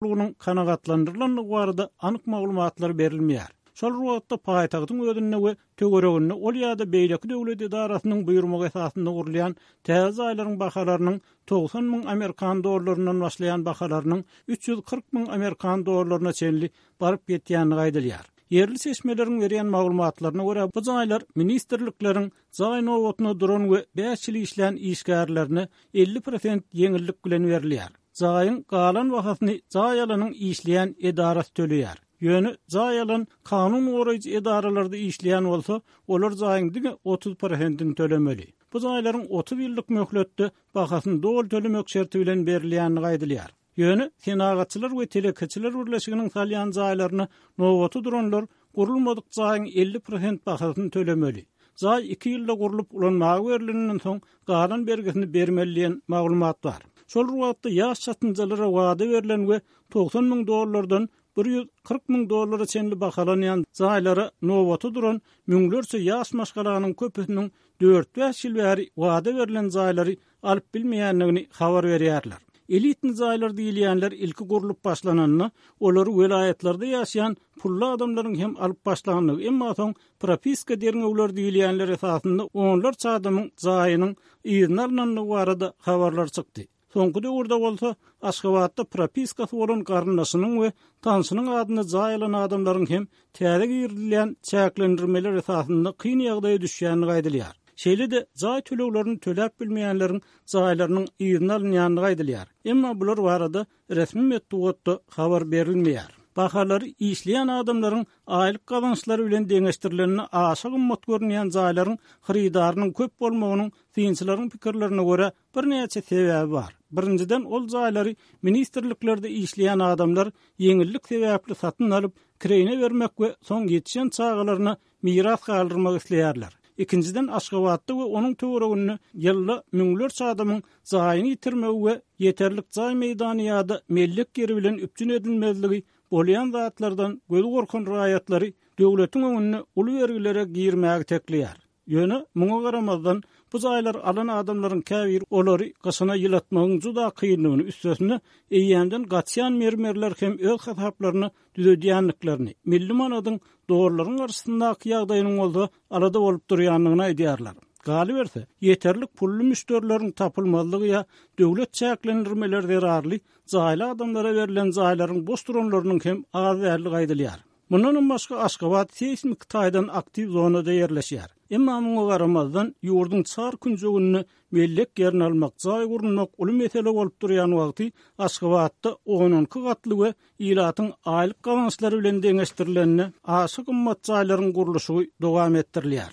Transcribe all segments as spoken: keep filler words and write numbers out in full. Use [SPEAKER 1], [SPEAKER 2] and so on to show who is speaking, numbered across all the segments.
[SPEAKER 1] zerurlygynyň kanagatlandyrylandygy barada anyk maglumatlar berilmeýär. Şol bir wagtda paýtagtyň özünde we töwereginde ol ýa-da beýleki döwlet edarasynyň buýurmagy esasynda gurulýan täze jaýlaryň bahalarynyň togsan müň amerikan dollaryndan başlaýan bahalarynyň üç ýüz kyrk müň amerikan dollaryna çenli baryp ýetýändigi aýdylýar. Ýerli çeşmeleriň berýän maglumatlaryna görä, bu jaýlar ministrlikleriň jaý nobatyna duran we bäş ýyl işlän işgärlerine elli prosent ýeňillik bilen berilýär. Jaýyň galan bahasyny jaý alanyň işleýän edarasy töleýär. Ýöne jaý alan kanun goraýjy edaralarda işleýän bolsa, olar jaýyň diňe otuz prosentini tölemeli. Bu jaýlaryň otuz ýyllyk möhletde bahasyny doly tölemek şerti bilen berilýändigi aýdylýar. Ýöne Senagatçylar we telekeçiler birleşiginiň salýan jaýlaryna nobata duranlar gurulmadyk jaýyň elli prosent bahasyny tölemeli. Jaý iki ýylda gurlup ulanmaga berilenden soň galan bergisini bermeli diýen maglumat bar. Şol bir wagtda ýaş çatynjalara wada berlen we togsan müň dollardan bir ýüz kyrk müň dollara çenli bahalanýan jaýlara nobata duran müňlerçe ýaş maşgalanyň köpüsiniň dört-bäş ýyl bäri wada berlen jaýlary alyp bilmeýändigini habar berýärler. Elitni jaýlar diýilýänler ilki gurlup başlananda, olary welaýatlarda ýaşaýan pully adamlaryň hem alyp başlandygy, emma soň propiska derňewler diýilýänler esasynda onlarça adamyň jaýynyň yzyna alynandygy barada habarlar çykdy. Soňky döwürde bolsa Aşgabatda propiskasy bolan garyndaşynyň we tanşynyň adyna jaý alan adamlaryň hem täze girizilýän çäklendirmeler esasynda kyn ýagdaýa düşýändigi aýdylýar. Şeýle-de jaý töleglerini töläp bilmeýänleriň jaýlarynyň yzyna alynýandygy aýdylýar. Emma bular barada resmi metbugatda habar berilmeýär. Bahalary işleýän adamlaryň aýlyk gazançlary bilen deňeşdirilende aşa gymmat görünýän jaýlaryň hyrydarynyň köp bolmagynyň synçylaryň pikirlerine görä birnäçe sebäbi bar. Birinjiden, ol jaýlary ministrliklerde işleýän adamlar ýeňillik sebäpli satyn alyp, kireýine bermek we soň ýetişen çagalaryna miras galdyrmak isleýärler. Ikinjiden, Aşgabatda we onuň töwereginde ýylda müňlerçe adamyň jaýyny ýitirmegi we ýeterlik jaý meýdany ýa-da mellek ýeri bilen üpjün edilmezligi bolýan zatlardan gözi gorkan raýatlary döwletiň öňünde uly bergilere girmäge tekleýär. Ýöne muňa garamazdan bu jaýlar alan adamlaryň käbiri olary gyşyna ýylatmagyň juda kynlygyny, üstesine eýýämden gaçýan mermerler hem öz hasaplaryny düzedýändiklerini, milli manadyň dollaryň garşysyndaky ýagdaýynyň bolsa alada bolup durýandygyny aýdýarlar. Galyberse, ýeterlik pully müşderileriň tapylmazlygy ýa döwlet çäklendirmeleri zerarly jaýly adamlara berlen jaýlaryň boş duranlarynyň hem az däldigi aýdylýar. Mundan başga Aşgabat seýsmik taýdan aktiw zonada ýerleşýär. Emma muňa garamazdan ýurduň çar künjeginde mellek ýerini almak, jaý gurmak uly mesele bolup durýan wagty Aşgabatda on iki gatly we ilatyň aýlyk gazançlary bilen deňeşdirilende aşa gymmat jaýlaryň gurluşygy dowam etdirilýär.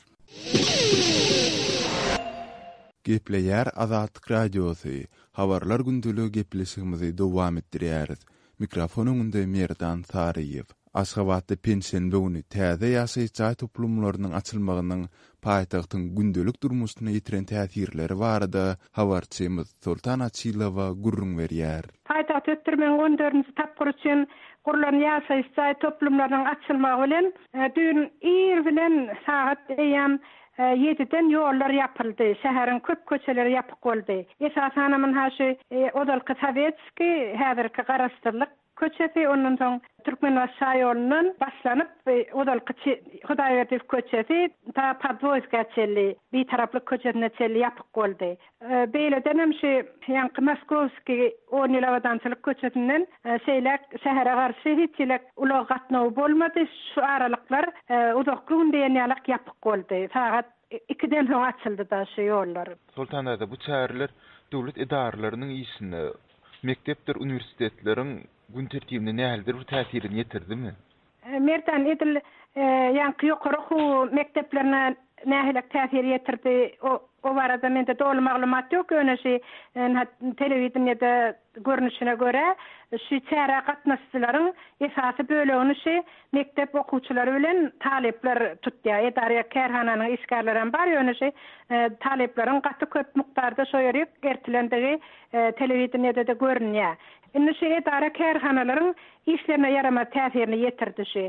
[SPEAKER 2] Gepleýär Azatlyk Radiosy. Habarlar gündeligi gepleşigimizi dowam etdirýäris. Mikrofon öňünde Merdan Saryýew. Aşgabatda penşenbe güni täze ýaşaýyş jaý toplumlarynyň açylmagynyň paýtagtyň gündelik durmuşyna ýetiren täsirleri barada habarçymyz Sultan Açylowa gürrüň berýär.
[SPEAKER 3] Paýtagty ösdürmegiň on dördünji tapgyry üçin gurlan ýaşaýyş jaý toplumlarynyň açylmagy bilen, e, düýn ir bilen sagat eýýäm, e, ýediden ýollar ýapyldy. Şäheriň köp köçeleri ýapyk boldy. Esasan hem şu, e, ozalky Sowetski, häzirki Garaşsyzlyk köçesi, ondan soň Türkmenbaşy şaýolundan başlanyp, e, ozalky Çe-, Hudaýberdiýew köçesi ta Podwoýska çenli, Bitaraplyk köçesine çenli ýapyk boldy. E, beýleden hem şu ýaňky Moskowski on ýyl abadançylyk köçesinden, e, şeýle şähere garşy hiç ýyl ulag gatnawy bolmady. Şu aralyklar, e, uzakly gün diýen ýalak ýapyk boldy. Sagat ikiden soň açyldy da şu ýollar.
[SPEAKER 4] Sultan Ada, bu çäreler döwlet edaralarynyň işine, mekdepdir uniwersitetleriň gün tertibine nähilidir bir täsirini ýetirdimi?
[SPEAKER 3] E, Merdan, edil, e, ýaňky ýokary okuw mekdeplerine nähili täsir ýetirdi? O, o barada mende doly maglumat ýok. Ýöne şu, e, telewideniýede görnüşine görä, şu çärä gatnaşyjylaryň esasy bölegini şu mekdep okuwçylary bilen talyplar tutýar. Edara kärhananyň işgärleri hem bar. Ýöne şu, e, talyplaryň gaty köp mukdarda şo ýere ertilendigi, e, telewideniýede de görünýär. Indi şu edara kärhanalaryň işlerine ýaramaz täsirini ýetirdi şu.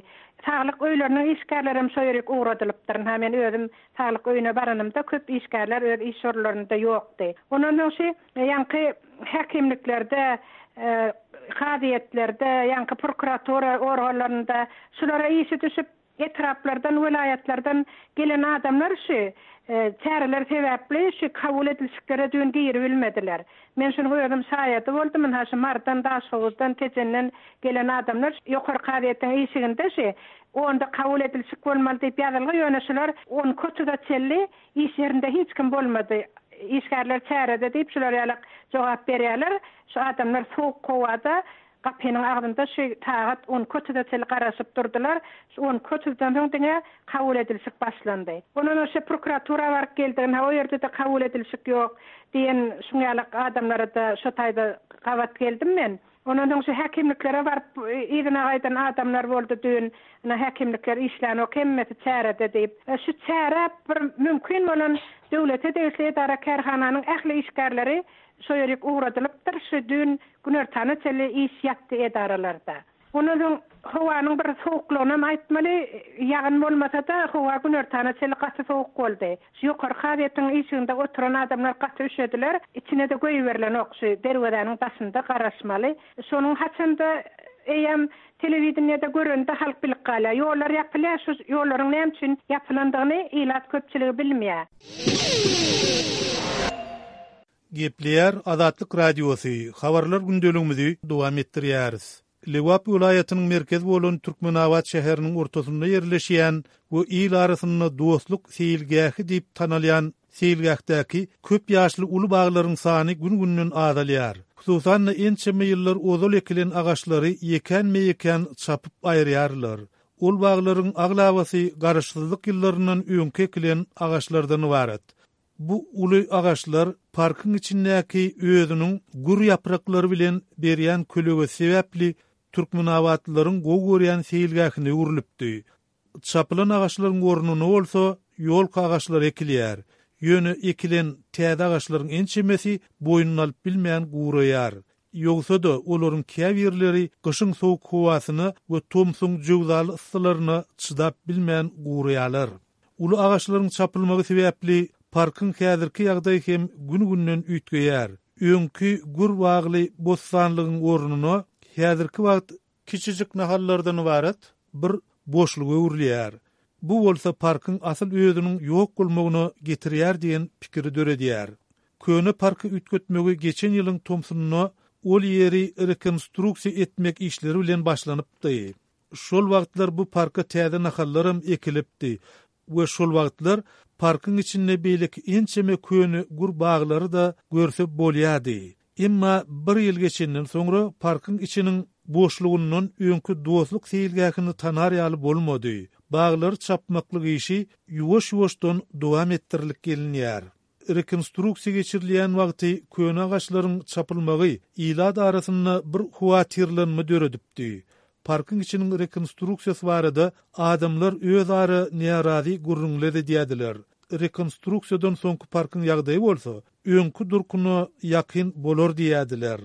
[SPEAKER 3] Saglyk öýleriniň işgärleri hem şo ýere ugradylypdyr. Ha men özüm saglyk öýüne baranymda köp işgärler öz iş orunlarynda ýokdy. Ondan soň şu ýaňky häkimliklerde, e, Kazyýetlerde, ýaňky prokuratura organlarynda şulara işi düşüp etraplardan, welaýatlardan gelen adamlar şu çäreler sebäpli şu kabul edilişiklere düýn giribilmediler. Men şunuň özüm şaýady boldum. Ynha şu Mardan, Daşhowuzdan, Tejenden gelen adamlar ýokary kazyýetiň işiginde şu onda kabul edilişik bolmaly diýip ýazylgy, ýöne şular on iki otuza çenli iş ýerinde hiç kim bolmady. Işgärler çärede diýip şular ýalak jogap berýärler. Şu adamlar sowuk howada gapynyň agzynda şu sagat on iki otuza çenli garaşyp durdular. Şu on iki otuzdan soň diňe kabul edilişik başlandy. Ondan şu prokuratura baryp geldi, ha o ýerde de kabul edilişik ýok diýen şuň ýalak adamlara da şu taýda gabat geldim men. Ondan soň şu häkimliklere baryp yzyna gaýdan adamlar boldy düýn. Ina häkimlikler işlän ok hemmesi çärede diýip. E, şu çäre bir mümkin bolan döwlete degişli edara kärhananyň ähli işgärleri şo ýerik ugradylypdyr. Şu düýn günortana çenli iş ýatdy edaralarda. Ondan soň howanyň bir sowuklygyny hem aýtmaly, ýagyn bolmasa da howa günortana çenli gaty sowuk boldy. Şu ýokary kazyýetiň işiginde oturan adamlar gaty üşediler. Içine de goýberilen ok şu derwezäniň daşynda garaşmaly. Şonuň haçanda eýem telewideniýede görende halk bilip galýar. Ýollar ýapylýar, şu ýollaryň näme üçin ýapylandygyny ilat köpçüligi bilmeýär.
[SPEAKER 5] Gepleýär Azatlyk Radiosy, habarlar gündeligimizi dowam etdirýäris. Lebap welaýatynyň merkezi bolan Türkmenabat şäheriniň ortasynda ýerleşýän we il arasynda dostluk seýilgähi diýip tanalýan seýilgähdäki köp ýaşly uly baglaryň sany gün-günden azalýar. Hususan-da ençeme ýyllar ozal ekilen agaçlary ýekän-meýekän çapyp aýyrýarlar. Ol baglaryň aglabasy garaşsyzlyk ýyllaryndan öňki ekilen agaçlardan ibarat. Bu uly agaçlar parkyň içindäki özüniň gür ýapraklary bilen berýän kölegesi sebäpli Türkmenabatlylaryň gowy görýän seýilgähine öwrülipdi. Çapylan agaçlaryň ornuna bolsa ýolka agaçlary ekilýär. Ýöne ekilen täze agaçlaryň ençemesi boýnuny alyp bilmän guraýar. Ýogsa-da olaryň käbirleri gyşyň sowuk howasyna we tomsuň jöwzaly yssylaryna çydap bilmän guraýarlar. Uly agaçlaryň çapylmagy sebäpli parkyň häzirki ýagdaýy hem gün-günden üýtgeýär. Öňki gür bagly bossanlygyň ornuna häzirki wagt kiçijik nahallardan ibarat bir boşluk öwrülýär. Bu bolsa parkyň asyl özüniň ýok bolmagyna getirýär diýen pikiri döredýär. Köne parky üýtgetmegi geçen ýylyň tomsunda ol ýeri rekonstruksiýa etmek işleri bilen başlanypdy. Şol wagtlar bu parka täze nahallaram ekilipdi we şol wagtlar parkyň içinde beýleki ençeme köne gür baglary da görse bolýardy. Emma bir ýyl geçenden soňra parkyň içiniň boşlugyndan öňki dostluk seýilgähini tanar ýaly bolmady. Baglary çapmaklyk işi ýuwaş-ýuwaşdan dowam etdirilip gelinýär. Rekonstruksiýa geçirilýän wagty köne agaçlaryň çapylmagy ilat arasynda bir howatyrlanma döredipdi. Parkyň içiniň rekonstruksiýasy barada adamlar öz ara närazy gürrüňler edýärdiler. Rekonstruksiýadan soňky parkyň ýagdaýy bolsa öňki durkuna ýakyn bolar diýärdiler.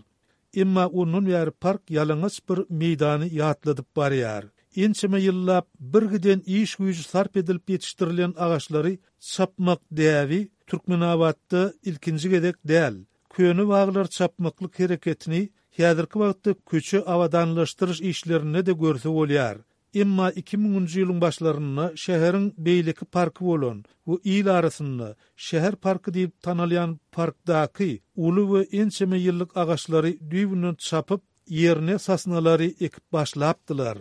[SPEAKER 5] Emma ondan bäri park ýalaňaç bir meýdany ýatladyp barýar. Ençeme ýyllap bir giden iş güýji sarp edilip ýetişdirilen agaçlary çapmak däbi Türkmenabatda ilkinji gezek däl. Köne baglar çapmaklyk hereketini häzirki wagtda köçe abadanlaşdyryş işlerinde de görse bolýar. Emma iki müňünji ýylyň başlarynda şäheriň beýleki parky bolan we il arasynda şäher parky diýip tanalýan parkdaky uly we ençeme ýyllyk agaçlary düýbünden çapyp ýerine sasnalary ekip başlapdylar.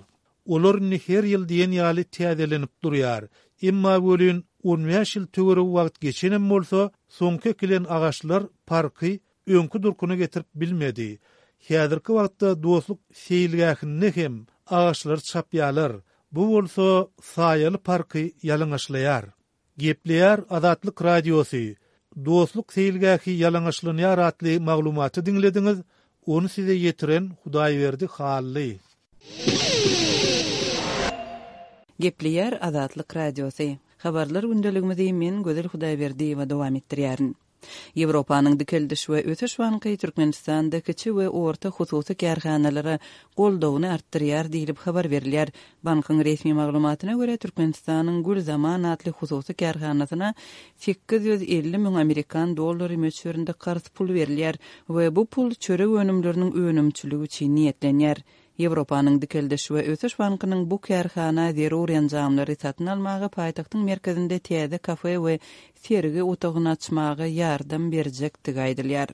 [SPEAKER 5] Olar indi her ýyl diýen ýaly täzelenip durýar. Emma welin on bäş ýyl töweregi wagt geçenem bolsa, soňky ekilen agaçlar parky öňki durkuna getirip bilmedi. Häzirki wagtda dostluk seýilgähinde hem agaçlar çapýarlar. Bu bolsa saýaly parky ýalaňaçlaýar. Gepleýär Azatlyk Radiosy. Dostluk seýilgähi ýalaňaçlanýar atly maglumaty diňlediňiz. Ony size ýetiren Hudaýberdi Hally.
[SPEAKER 6] Gepleýär Azatlyk Radiosy. Habarlar gündeligimizi men Gözel Hudaýberdiýewa dowam etdirýärin. Ýewropanyň Dikeldiş we ösüş banky Türkmenistanda kiçi we orta hususy kärhanalara goldawyny artdyrýar diýlip habar berilýär. Bankyň resmi maglumatyna görä, Türkmenistanyň Gül Zaman atly hususy kärhanasyna sekiz ýüz elli müň amerikan dollary möçberinde karz pul berilýär we bu pul çörek önümleriniň önümçiligi üçin niýetlenýär. Ýewropanyň Dikeldiş we ösüş bankynyň bu kärhana zerur enjamlary satyn almaga, paýtagtyň merkezinde täze kafe we sergi otagyny açmaga ýardam berjekdigi aýdylýar.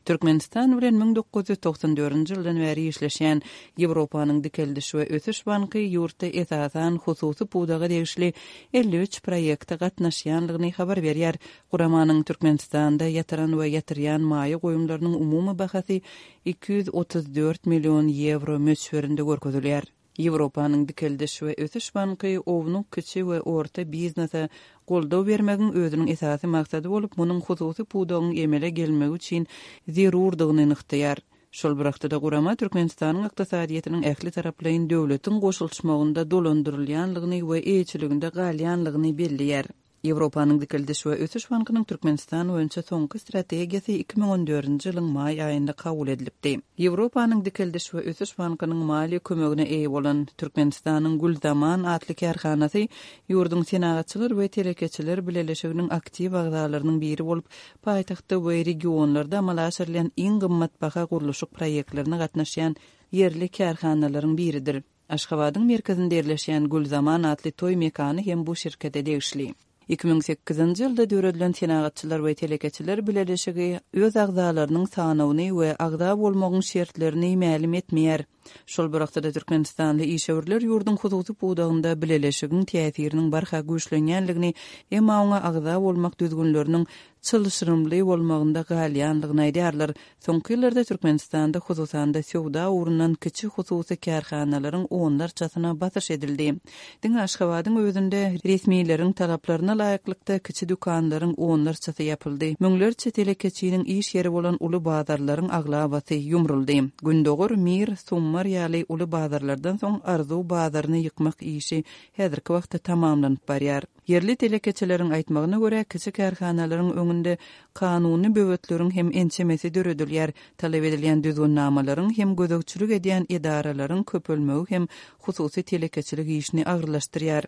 [SPEAKER 6] Türkmenistan bilen müň dokuz ýüz togsan dördünji ýyldan bäri işleşýän Ýewropanyň Dikeldiş we ösüş banky ýurtda esasan hususy pudaga degişli elli üç proýekte gatnaşýandygyny habar berýär. Guramanyň Türkmenistanda ýatyran we ýatyrýan maýa goýumlarynyň umumy bahasy iki ýüz otuz dört million ýewro möçberinde görkezilýär. Ýewropanyň Dikeldiş we ösüş banky ownuk, kiçi we orta biznese goldaw bermegiň özüniň esasy maksady bolup, munuň hususy pudagyň emele gelmegi üçin zerurdygyny nygtaýar. Şol bir wagtda-da gurama Türkmenistanyň ykdysadyýetiniň ähli taraplaýyn döwletiň goşulyşmagynda dolandyrylýanlygyny we eýeçiliginde galýanlygyny belleýär. Ýewropanyň Dikeldiş we ösüş bankynyň Türkmenistan boýunça soňky strategiýasy iki müň on dördünji ýylyň maý aýynda kabul edilipdi. Ýewropanyň Dikeldiş we ösüş bankynyň maliýe kömegine eýe bolan Türkmenistanyň Gül Zaman atly kärhanasy ýurduň Senagatçylar we Telekeçiler Bileleşiginiň aktiw agzalarynyň biri bolup, paýtagtda we regionlarda amala aşyrylýan iň gymmatbaha gurluşyk proýektlerine gatnaşýan ýerli kärhanalaryň biridir. Aşgabadyň merkezinde ýerleşýän Gül Zaman atly toý mekany hem bu şirkete degişli. Iki müň sekizinji ýylda döredilen Senagatçylar we Telekeçiler Bileleşigi öz agzalarynyň sanawyny we agza bolmagyň şertlerini mälim etmeýär. Şol bir wagtda Türkmenistanly işewürler ýurduň hususy pudagynda bileleşigiň täsiriniň barha güýçlenýänligini, emma oňa agza bolmak düzgünleriniň çylşyrymly bolmagynda galýanlygyny aýdýarlar. Soňky ýyllarda Türkmenistanda hususan-da söwda ugrundan kiçi hususy kärhanalaryň onlarçasyna basyş edildi. Diňe Aşgabadyň özünde resmileriň talaplaryna laýyklykda kiçi dükanlaryň onlarçasy ýapyldy. Müňlerçe telekeçiniň iş ýeri bolan uly bazarlaryň aglabasy ýumruldy. Gündogar, Mir, Summar ýaly uly bazarlardan soň Arzuw bazaryny ýykmak işi häzirki wagtda tamamlanyp barýar. Ýerli telekeçileriň aýtmagyna görä, kiçi kärhanalaryň öňünde kanuny böwetleriň hem ençemesi döredilýär. Talap edilýän düzgünnamalaryň hem gözegçilik edýän edaralaryň köpelmegi hem hususy telekeçilik işini agyrlaşdyrýar.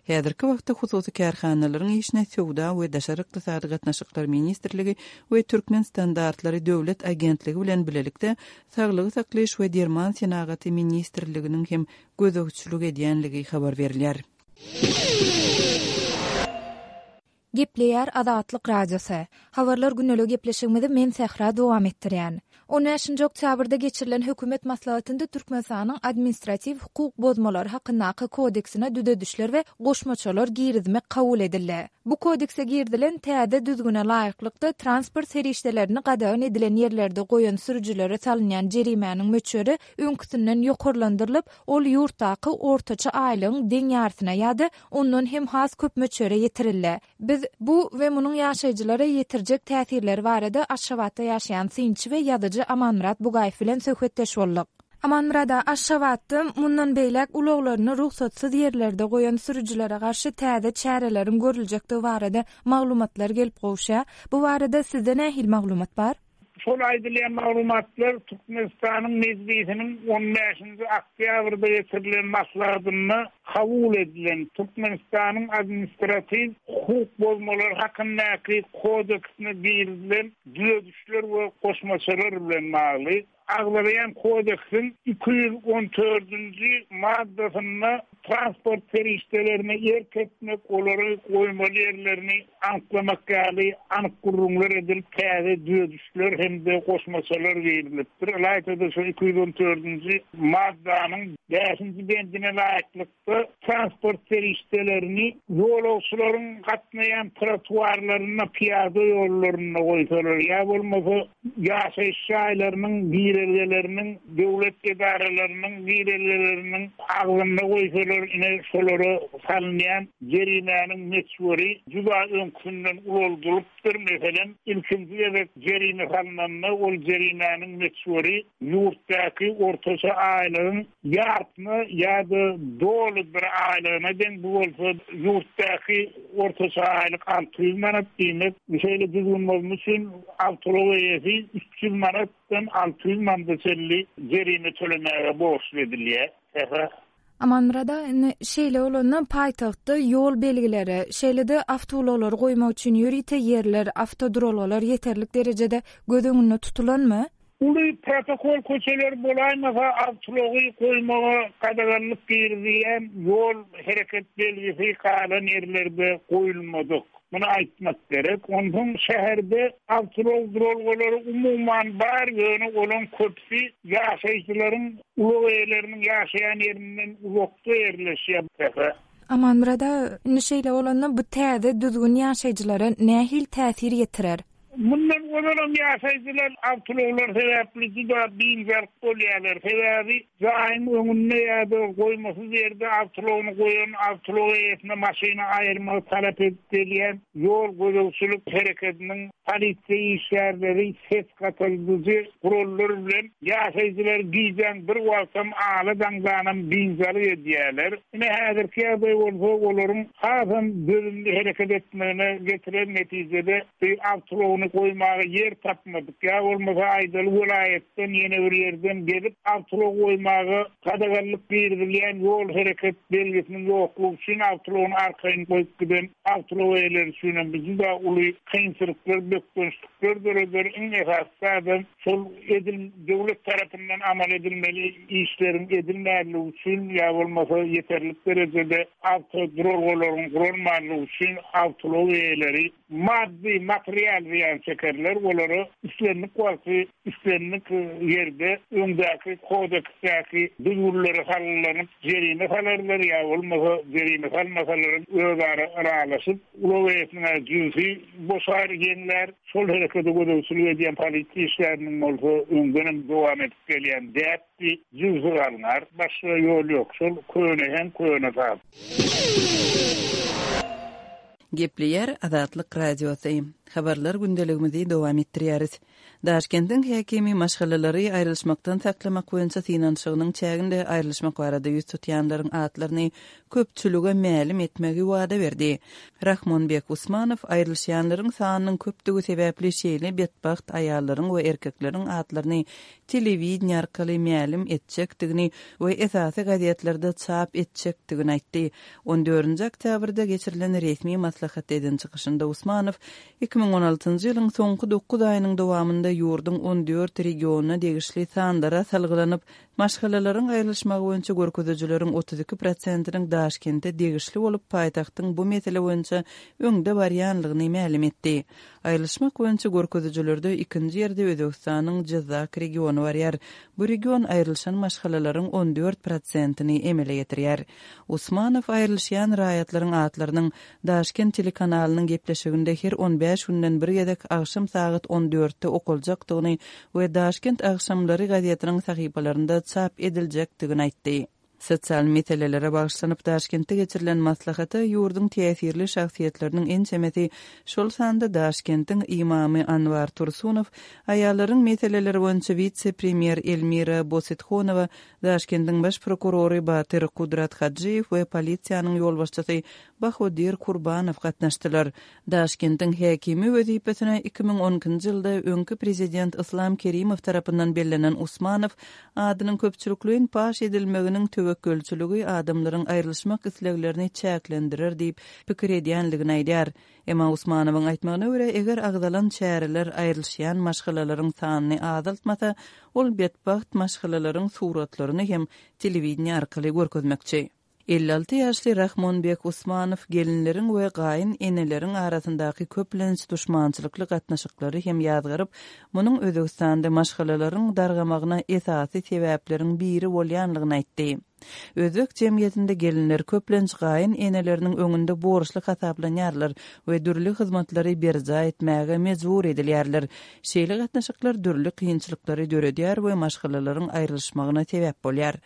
[SPEAKER 6] Häzirki wagtda hususy kärhanalaryň işine Söwda we Daşary ykdysady gatnaşyklar ministrligi we Türkmen standartlary döwlet agentligi bilen bilelikde Saglygy saklaýyş we derman senagaty ministrliginiň hem gözegçilik edýänligi habar berilýär.
[SPEAKER 7] Gepleýär Azatlyk Radiosy. Habarlar gündelik gepleşigimizi men Sähra dowam etdirýän. On bäşinji oktýabrda geçirilen hökümet maslahatynda Türkmenistanyň administratiw hukuk bozmalary hakyndaky kodeksine düzedişler we goşmaçalar girizmek kabul edildi. Bu kodekse girizilen täze düzgüne laýyklykda transport serişdelerini gadagan edilen ýerlerde goýan sürüjilere salynýan jerimäniň möçberi öňküsinden ýokarlandyrylyp, ol ýurtdaky ortaça aýlygyň deň ýarysyna ýa-da ondan hem has köp möçbere ýetirildi. Biz bu we munuň ýaşaýjylara ýetirjek täsirleri barada Aşgabatda ýaşaýan synçy we ýazyjy Amanmyrat Bugaýew bilen söhbetdeş bolduk. Amanmyrat, Aşgabatda mundan beýläk ulaglaryny rugsatsyz ýerlerde goýan sürüjilere garşy täze çäreleriň görüljekdigi barada maglumatlar gelip gowşýar. Bu barada sizde nähili maglumat bar?
[SPEAKER 8] Şol aýdylýan maglumatlar Türkmenistanyň Mejlisiniň on bäşinji oktýabrda geçirilen maslahatynda kabul edilen Türkmenistanyň administratiw hukuk bozmalary hakyndaky kodeksine girizilen düzedişler we goşmaçalar bilen bagly. Agzalaýan kodeksiň iki ýüz on dördünji maddasynda transport serişdelerini erk etmek, olary goýmaly ýerlerini anyklamak ýaly anyk gurrumlar edilip täze düzedişler hem de goşmaçalar girizilipdir. Ylaýta-da şu iki ýüz on dördünji maddanyň bäşinji bendine laýyklykda transport serişdelerini ýolagçylaryň gatnaýan trotuarlarynda, piýada ýollarynda goýsalar ýa bolmasa ýaşaýyş jaýlarynyň girelgelerinde Girelgeleriniň, döwlet edaralarynyň girelgeleriniň agzynda goýsalar, ine şolara salynýan jerimäniň möçberi juda öňküsinden ulaldylypdyr. Meselem, ilkinji gezek jerime salynanda ol jerimäniň möçberi ýurtdaky ortaça aýlygyň ýarpyna ýa-da doly bir aýlygyna deň, bu bolsa ýurtdaky ortaça aýlyk alty ýüz manat diýmek. Şeýle düzgün bolmak üçin awtoulag eýesi üç ýüz manatdan alty ýüz manata çenli jerime tölemäge borçly edilýär. Sähra.
[SPEAKER 7] Amanmyrat aga, indi şeýle bolanda paýtagtda ýol belgileri, şeýle-de awtoulaglary goýmak üçin ýörite ýerler, awtoduralgalar ýeterlik derejede göz öňünde tutulanmy?
[SPEAKER 8] Uly protokol köçeler bolaýmasa awtoulagy goýmaga gadaganlyk girizilýän ýol hereket belgisi galan ýerlerde goýulmadyk. Muny aýtmak gerek. Onsoň şäherde awtoulag duralgalary umuman bar, ýöne olaň köpüsi ýaşaýjylaryň, ulag eýeleriniň ýaşaýan ýerinden uzakda ýerleşýär.
[SPEAKER 7] Amanmyrat aga, indi şeýle bolanda bu täze düzgün ýaşaýjylara nähili täsir ýetirer?
[SPEAKER 8] Mundan ozalam ýaşaýjylar awtoulaglar sebäpli juda biynjalyk bolýarlar. Sebäbi jaýyň öňünde ýa-da goýmasyz ýerde awtoulagyny goýan awtoulag eýesine maşyny aýyrmagy talap edip gelýän ýol gözegçilik hereketiniň polisiýa işgärleri ses gataldyjy gurallar bilen ýaşaýjylar gijäň bir wagtam ala daňdanam biynjalyk edýärler. Ine häzirki ýagdaý bolsa olaryň hasam dözümli hereket etmegine getiren netijede bir awtoulagyny goýmaga ýer tapmadyk. Ýa bolmasa aýdaly welaýatdan ýene bir ýerden gelip awtoulag goýmaga gadaganlyk girizilýän ýol hereket belgisiniň ýoklugy üçin awtoulagyny arkaýyn goýup giden awtoulag eýeleri üçin hem juda uly kynçylyklar, bökdençlikler döreder. Iň esasy adam şol edil döwlet tarapyndan amal edilmeli işleriň edilmänligi üçin ýa bolmasa ýeterlik derejede awtoduralgalaryň guralmanlygy üçin awtoulag eýeleri maddy, material zyýan çekerler. Olara islendik wagty, islendik ýerde öňdäki kodeksdäki düzgünlere salgylanyp jerime salarlar ýa bolmasa jerime salmasalar özara ylalaşyp ulag eýesiniň jübüsi boşar, ýeňlär. Şol herekete gözegçilik edýän polisiýa işgäriniň bolsa öňden hem dowam edip gelýän däpdi, jübüsi galnar. Başga ýol ýok. Şol köne hem köne saz.
[SPEAKER 6] Gepleýär Azatlyk Radiosy. Habarlar gündeligimizi dowam etdirýäris. Daşkentiň häkimi maşgalalary aýrylyşmakdan saklamak boýunça synanyşygynyň çäginde aýrylyşmak barada ýüz tutýanlaryň atlaryny köpçülige mälim etmegi wada berdi. Rahmonbek Usmanow aýrylyşýanlaryň sanynyň köpdügi sebäpli şeýle betbagt aýallaryň we erkekleriň atlaryny telewideniýe arkaly mälim etjekdigini we esasy gazetlerde çap etjekdigini aýtdy. On dördünji oktýabrda geçirilen resmi maslahatda eden çykyşynda Usmanow iki müň on altynjy ýylyň soňky dokuz aýynyň dowamynda ýurduň on dört regionyna degişli sanlara salgylanyp, maşgalalaryň aýrylyşmagy boýunça görkezijileriň otuz iki prosentiniň Daşkente degişli bolup, paýtagtyň bu mesele boýunça öňde barýanlygyny mälim etdi. Aýrylyşmak boýunça görkezijilerde ikinji ýerde Özbegistanyň Jyzak regiony barýar. Bu region aýrylyşan maşgalalaryň on dört prosentini emele getirýär. Usmanow aýrylyşýan raýatlaryň atlarynyň Daşkent telekanalynyň gepleşiginde her on bäş günden bir gezek agşam sagat on dörtde okaljakdygyny we Daşkent agşamlary gazetiniň sahypalarynda çap ediljekdigini aýtdy. Sosial meselelere bagyşlanyp Daşkentde geçirilen maslahata ýurduň täsirli şahsyýetleriniň ençemesi, şol sanda Daşkentiň imamy Anwar Tursunow, aýallaryň meseleleri boýunça witse-premýer Elmira Bosithonowa, Daşkentiň baş prokurory Batyr Kudrat Hajyýew we polisiýanyň ýolbaşçysy Bahodir Kurbanow gatnaşdylar. Daşkentiň häkimi wezipesine iki müň on ikinji ýylda öňki prezident Islam Kerimow tarapyndan bellenen Usmanow adynyň köpçülikleýin paş edilmeginiň töwekgelçiligi adamlaryň aýrylyşmak isleglerini çäklendirer diýip pikir edýänligini aýdýar. Emma Usmanowyň aýtmagyna görä, eger agzalan çäreler aýrylyşýan maşgalalaryň sanyny azaltmasa, ol betbagt maşgalalaryň suratlaryny hem telewideniýe arkaly görkezmekçi. Elli alty ýaşly Rahmonbek Usmanow gelinleriň we gaýyn eneleriň arasyndaky köplenç duşmançylykly gatnaşyklary hem ýazgaryp, munuň Özbegistanda maşgalalaryň dargamagyna esasy sebäpleriň biri bolýanlygyny aýtdy. Özbek jemgyýetinde gelinler köplenç gaýyn eneleriniň öňünde borçly hasaplanýarlar we dürli hyzmatlary berjaý etmäge mejbur edilýärler. Şeýle gatnaşyklar dürli kynçylyklary döredýär we maşgalalaryň aýrylyşmagyna sebäp bolýar.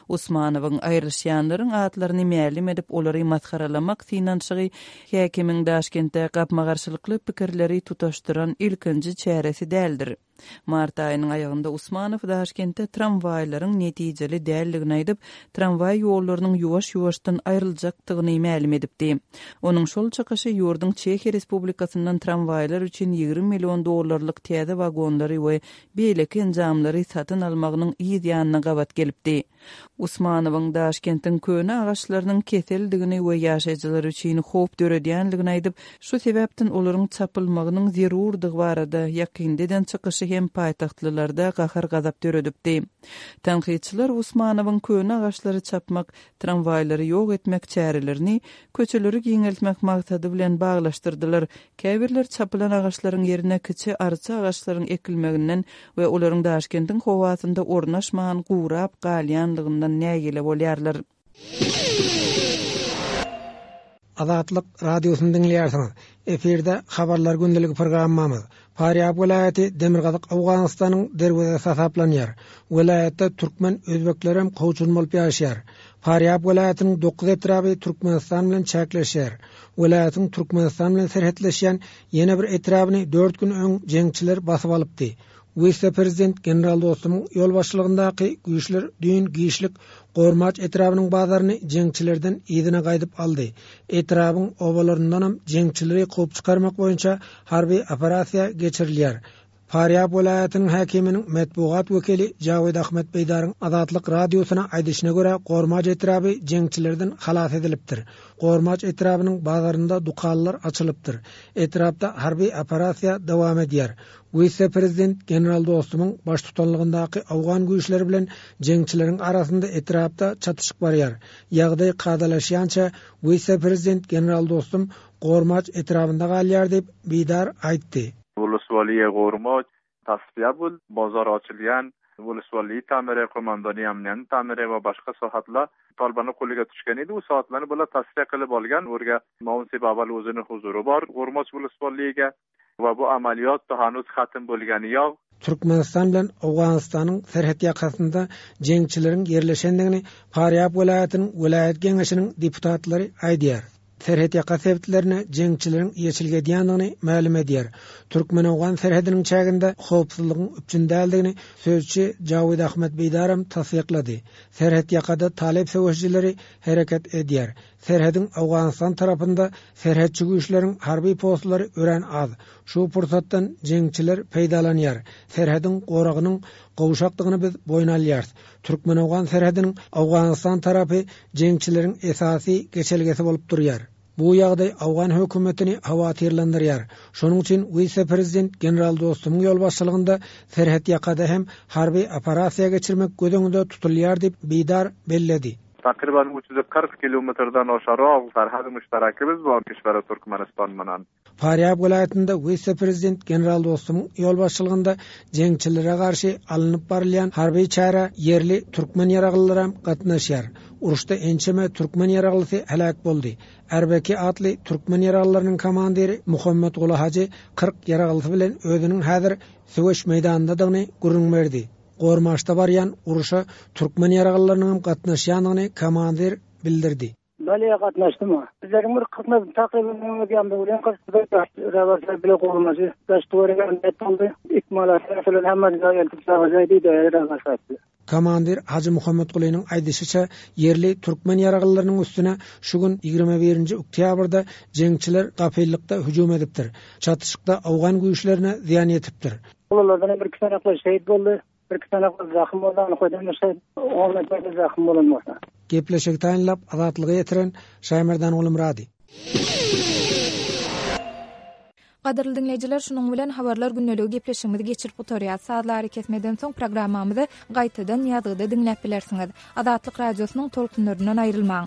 [SPEAKER 6] Usmanowyň aýrylyşýanlaryň atlaryny mälim edip, olary masgaralamak synanyşygy häkimiň Daşkentde gapma-garşylykly pikirleri tutaşdyran ilkinji çäresi däldir. Mart aýynyň aýagynda Usmanow Daşkentde tramwaýlaryň netijeli däldigini aýdyp, tramwaý ýollarynyň ýuwaş-ýuwaşdan aýryljakdygyny mälim edipdi. Onuň şol çykyşy ýurduň Çehiýa Respublikasyndan tramwaýlar üçin ýigrimi million dollarlyk täze wagonlary we beýleki enjamlary satyn almagynyň yz ýanyna gabat gelipdi. Usmanowyň Daşkentiň köne agaçlarynyň keseldigini we ýaşaýjylar üçin howp döredýänligini aýdyp, şu sebäpden olaryň çapylmagynyň zerurdygy barada ýakynda eden çykyşy hem paýtagtlylarda gahar-gazap döredipdi. Tankytçylar Usmanowyň köne agaçlary çapmak, tramwaýlary ýok etmek çärelerini köçeleri giňeltmek maksady bilen baglaşdyrdylar. Käbirler çapylan agaçlaryň ýerine kiçi arça agaçlaryň ekilmeginden we olaryň Daşkentiň howasynda ornaşman gurap galýanlygyndan nägile bolýarlar.
[SPEAKER 9] Azatlyk radiosyny diňleýärsiňiz. Efirde habarlar gündeligi programmamyz. Farýab welaýaty Demirgazyk Owganystanyň derwezesi hasaplanýar. Welaýatda türkmen özbeklerem kowçum bolup ýaşaýar. Farýab welaýatynyň dokuz etraby Türkmenistan bilen çäkleşýär. Welaýatyň Türkmenistan bilen serhetleşýän ýene bir etrabyny dört gün öň jeňçiler basyp alypdy. Wise-prezident General Dostumyň ýolbaşçylygyndaky güýçler düýn giçlik Gormaç etrabynyň bazaryny jeňçilerden yzyna gaýdyp aldy. Etrabyň obalaryndanam jeňçileri kowup çykarmak boýunça harby operasiýa geçirilýär. Farýab welaýatynyň häkiminiň metbugat wekili Jawid Ahmet Beýdaryň Azatlyk radiosyna aýdyşyna görä, Gormaç etraby jeňçilerden halas edilipdir. Gormaç etrabynyň bazarynda dükanlar açylypdyr. Etrapda harby operasiýa dowam edýär. Wise-prezident General Dostumyň baştutanlygyndaky Awgan güýçleri bilen jeňçileriň arasynda etrapda çatyşyk barýar. Ýagdaý kadalaşýança wise-prezident General Dostum Gormaç etrabynda galýar diýip Beýdar aýtdy.
[SPEAKER 10] Woloswaliýa Gormaç tasfiýa bul, bazar açylýan, woloswaliýa tamire, komandoniýa amniýany tamire we başga sahatlar Talibanyň qo'liga tushgan edi. U soatlarni bular tasfiya qilib olgan. Ularga Maun Babal o'zini huzuri bor Gormaç woloswaliýaga we bu amaliyot hanuz xatm bo'lgani yo'q.
[SPEAKER 9] Türkmenistan bilen Owganystanyň serhet ýakasynda jeňçileriň ýerleşendigini Farýab welaýatynyň welaýat geňeşiniň deputatlary aýdýar. Serhet ýaka sebitlerine jeňçileriň ýeçilgi edýändigini mälim edýär. Türkmen-Owgan serhediniň çäginde howpsuzlygyň üpjün däldigini sözçi Jawid Ahmet Beýdaram tassyklady. Serhet ýakada Talip söweşijileri hereket edýär. Serhediň Owganystan tarapynda serhetçi güýçleriň harby postlary örän az. Şu pursatdan jeňçiler peýdalanýar. Serhediň goragynyň gowşakdygyny biz boýun alýarys. Türkmen-Owgan serhediniň Owganystan tarapy jeňçileriň esasy geçelgesi bolup durýar. Bu ýagdaý Owgan hökümetini howatyrlandyrýar. Şonuň üçin wise-prezident General Dostumyň ýolbaşçylygynda serhet ýakada hem harby operasiýa geçirmek göz öňünde tutulýar diýip Beýdar belledi.
[SPEAKER 10] Takriban üç ýüz kyrk kilometrden aşarak serhed müşterekimiz bar kişwere Türkmenistan bilen.
[SPEAKER 9] Farýab welaýatynda wise-prezident General Dostumyň ýolbaşçylygynda jeňçilere garşy alnyp barylýan harby çäre ýerli türkmen ýaraglylaram gatnaşýar. Uruşda ençeme türkmen ýaraglysy heläk boldy. Erbeki atly türkmen ýaraglylarynyň komandiri Muhammet Gula Hajy kyrk ýaraglysy bilen özüniň häzir söweş meýdanyndadygyny gürrüň berdi. Gormaçda barýan uruşa türkmen ýaraglylarynyň gatnaşýandygyny komandir bildirdi.
[SPEAKER 11] Baliýe gatnaşdym. Bizleriň bir kyrk takriben öňe bilen kyrk bile gormajy. Daş duwara net boldy. Ikmalat bilen hemme jaý eltip çagajaý diýdi, ýaraglysy.
[SPEAKER 9] Komandir Hajy Muhammet Gulynyň aýdyşyça ýerli türkmen ýaraglylarynyň üstüne şu gün ýigrimi birinji oktýabrda jeňçiler gapyllykda hüjüm edipdir. Çatyşykda Owgan güýçlerine zyýan ýetipdir.
[SPEAKER 11] Olardan bir iki tane şehit boldy. Bir iki tane zahım boldy, ony koýdum, şeýt, on metre zahım bolan bolsa.
[SPEAKER 9] Gepleşik taýynlap azatlyga ýetiren Şaýmerdan Gulumrady.
[SPEAKER 7] Gadyrly dinleýjiler, şunuň bilen habarlar gündeligi gepleşigimizi geçirip gutarýar. Sazlary kesmeden soň programmamyzy gaýtadan ýazgyda diňläp bilersiňiz. Azatlyk radiosynyň tolkunlaryndan aýrylmaň.